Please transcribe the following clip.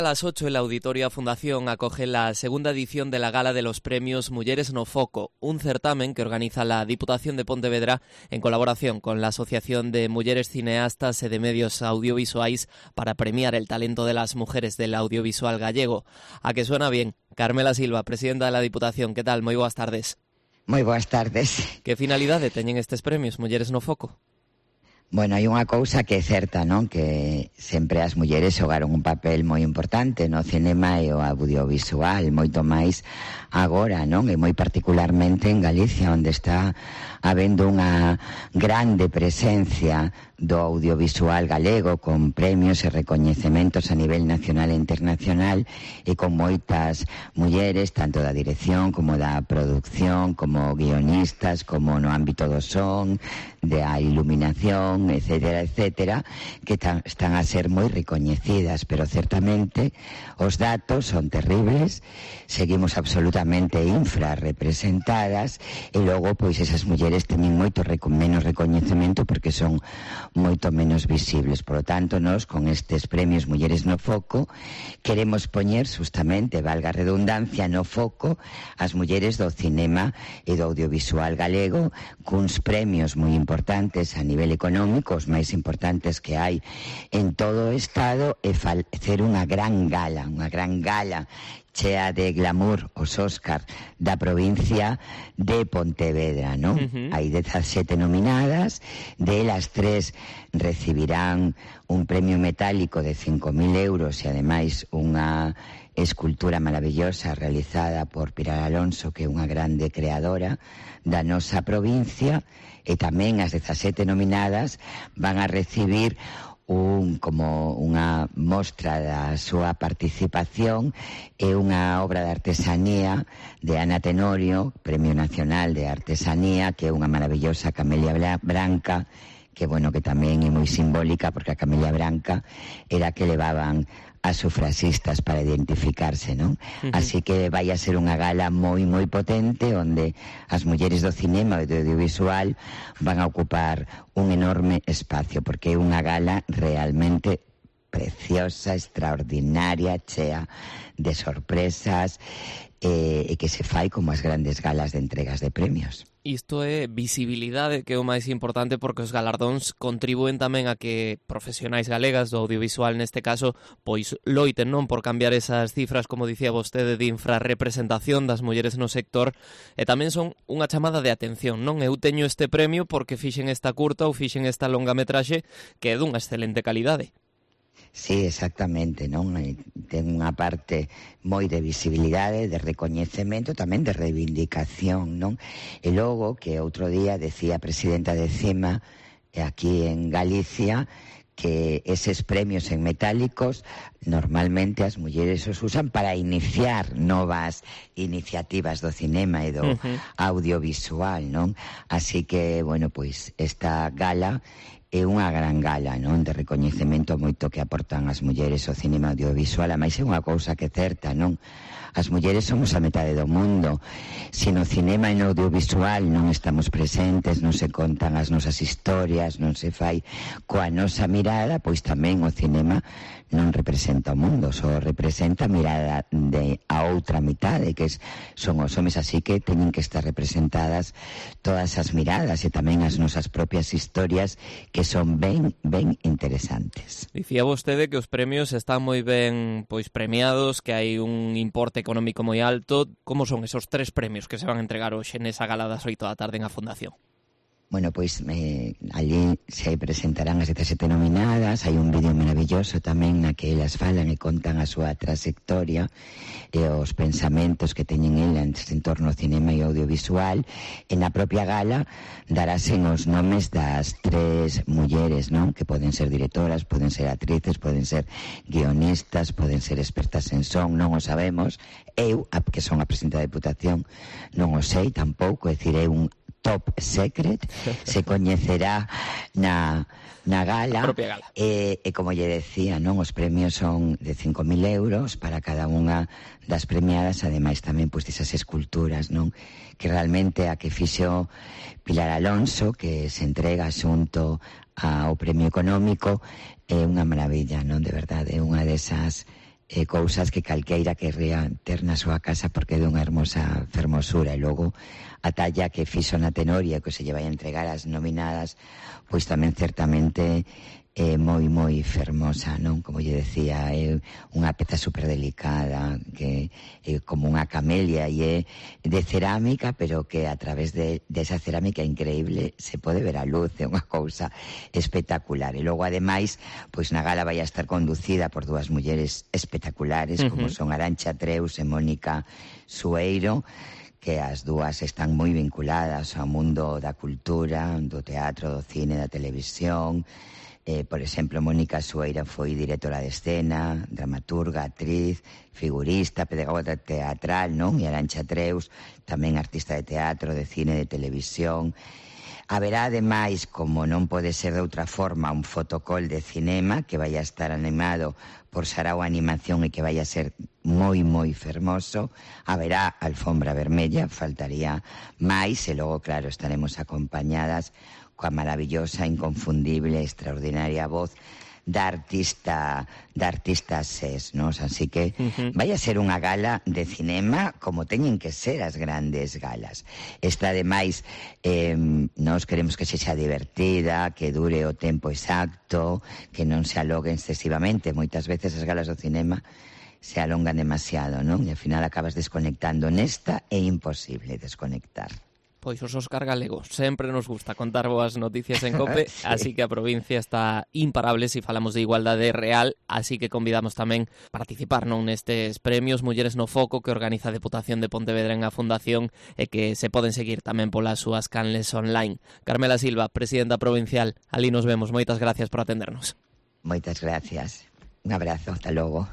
A las 8 el Auditorio Fundación acoge la segunda edición de la Gala de los Premios Mulleres no Foco, un certamen que organiza la Diputación de Pontevedra en colaboración con la Asociación de Mulleres Cineastas e de Medios Audiovisuais para premiar el talento de las mujeres del audiovisual gallego. A que suena bien. Carmela Silva, presidenta de la Diputación, que tal? Moi boas tardes. Moi boas tardes. Que finalidade teñen estes premios Mulleres no Foco? Bueno, hai unha cousa que é certa, non? Que sempre as mulleres xogaron un papel moi importante no cinema e o audiovisual, moito máis agora, non? E moi particularmente en Galicia, onde está habendo unha grande presencia do audiovisual galego, con premios e recoñecementos a nivel nacional e internacional, e con moitas mulleres, tanto da dirección como da producción, como guionistas, como no ámbito do son, da iluminación, etcétera, etcétera, que están a ser moi recoñecidas, pero certamente os datos son terribles, seguimos absolutamente infrarrepresentadas, e logo, pois, esas mulleres teñen moito menos recoñecemento porque son moito menos visibles. Por lo tanto, nós, con estes premios Mulleres no Foco, queremos poñer, justamente, valga a redundancia, no foco as mulleres do cinema e do audiovisual galego, cuns premios moi importantes a nivel económico, os máis importantes que hai en todo o Estado, e facer unha gran gala chea de glamour, os Óscar da provincia de Pontevedra, non? Hai 17 nominadas, delas 3 recibirán un premio metálico de 5.000 euros e ademais unha escultura maravillosa realizada por Pilar Alonso, que é unha grande creadora da nosa provincia, e tamén as 17 nominadas van a recibir como unha mostra da súa participación e unha obra de artesanía de Ana Tenorio, Premio Nacional de Artesanía, que é unha maravillosa camelia branca, que, bueno, que tamén é moi simbólica, porque a camelia branca era que levaban as sufraxistas para identificarse, non? Así que vai a ser unha gala moi, moi potente, onde as mulleres do cinema e do audiovisual van a ocupar un enorme espacio, porque é unha gala realmente preciosa, extraordinaria, chea de sorpresas, e que se fai como as grandes galas de entregas de premios. Isto é visibilidade, que é o máis importante, porque os galardóns contribúen tamén a que profesionais galegas do audiovisual, neste caso, pois loiten, non, por cambiar esas cifras, como dicía vostede, de infrarrepresentación das mulleres no sector, e tamén son unha chamada de atención, non? Eu teño este premio porque fixen esta curta ou fixen esta longametraxe que é dunha excelente calidade. Sí, exactamente, non? Ten unha parte moi de visibilidade, de recoñecemento, tamén de reivindicación, non? E logo, que outro día decía a presidenta de CIMA, aquí en Galicia, que eses premios en metálicos normalmente as mulleres os usan para iniciar novas iniciativas do cinema e do audiovisual, non? Así que, bueno, pois esta gala é unha gran gala, non, de recoñecemento moito que aportan as mulleres ao cinema audiovisual. A máis é unha cousa que é certa, non? As mulleres somos a metade do mundo. Se no cinema e no audiovisual non estamos presentes, non se contan as nosas historias, non se fai coa nosa mirada, pois tamén o cinema non representa o mundo, só representa a mirada de a outra mitade, que son os homes, así que teñen que estar representadas todas as miradas e tamén as nosas propias historias, que son ben interesantes. Dicía vostede que os premios están moi ben pois premiados, que hai un importe económico moi alto. Como son esos 3 premios que se van a entregar hoxe nesa gala das 8 da tarde en a Fundación? Bueno, pois allí se presentarán as 17 nominadas, hai un vídeo maravilloso tamén na que elas falan e contan a súa trayectoria e os pensamentos que teñen elas en torno ao cinema e audiovisual. E na propia gala darásen os nomes das 3 mulleres, non? Que poden ser directoras, poden ser actrices, poden ser guionistas, poden ser expertas en son, non o sabemos. Eu, que son a presidenta da Diputación, non o sei tampouco, é dicir, é un top secret, se coñecerá na gala, e como lle decía, non, os premios son de 5.000 euros para cada unha das premiadas, ademais tamén pois esas esculturas, non, que realmente a que fixo Pilar Alonso, que se entrega xunto ao premio económico, é unha maravilla, non, de verdade, é unha desas cousas que calqueira querría ter na súa casa porque é dunha hermosa fermosura. E logo a talla que fixo na Tenoria, que se lle vai a entregar as nominadas, pois tamén certamente é moi fermosa, non? Como lle decía, é unha peza super delicada, que é como unha camelia, e é de cerámica, pero que a través de esa cerámica increíble se pode ver a luz, é unha cousa espectacular. E logo, ademais, pois na gala vai a estar conducida por dúas mulleres espectaculares, como son Arantxa Treus e Mónica Sueiro, que as dúas están moi vinculadas ao mundo da cultura, do teatro, do cine, da televisión. Por exemplo, Mónica Sueira foi directora de escena, dramaturga, actriz, figurista, pedagoga teatral, non? E Arantxa Treus, tamén artista de teatro, de cine, de televisión. Haberá, ademais, como non pode ser de outra forma, un fotocall de cinema que vai a estar animado por Sarao Animación e que vai a ser moi fermoso. Haberá alfombra vermella, faltaría máis, e logo, claro, estaremos acompañadas coa maravillosa, inconfundible, extraordinaria voz da artista SES, non? Así que vai a ser unha gala de cinema como teñen que ser as grandes galas. Esta, ademais, nós queremos que sexa divertida, que dure o tempo exacto, que non se alongue excesivamente. Moitas veces as galas do cinema se alongan demasiado, non? E ao final acabas desconectando. Nesta é imposible desconectar. Pois os Óscar galegos, sempre nos gusta contar boas noticias en COPE, sí. Así que a provincia está imparable se falamos de igualdade real, así que convidamos tamén a participar nestes premios Mulleres no Foco que organiza a Deputación de Pontevedra en a Fundación e que se poden seguir tamén polas súas canles online. Carmela Silva, presidenta provincial, ali nos vemos, moitas gracias por atendernos. Moitas gracias, un abrazo, hasta logo.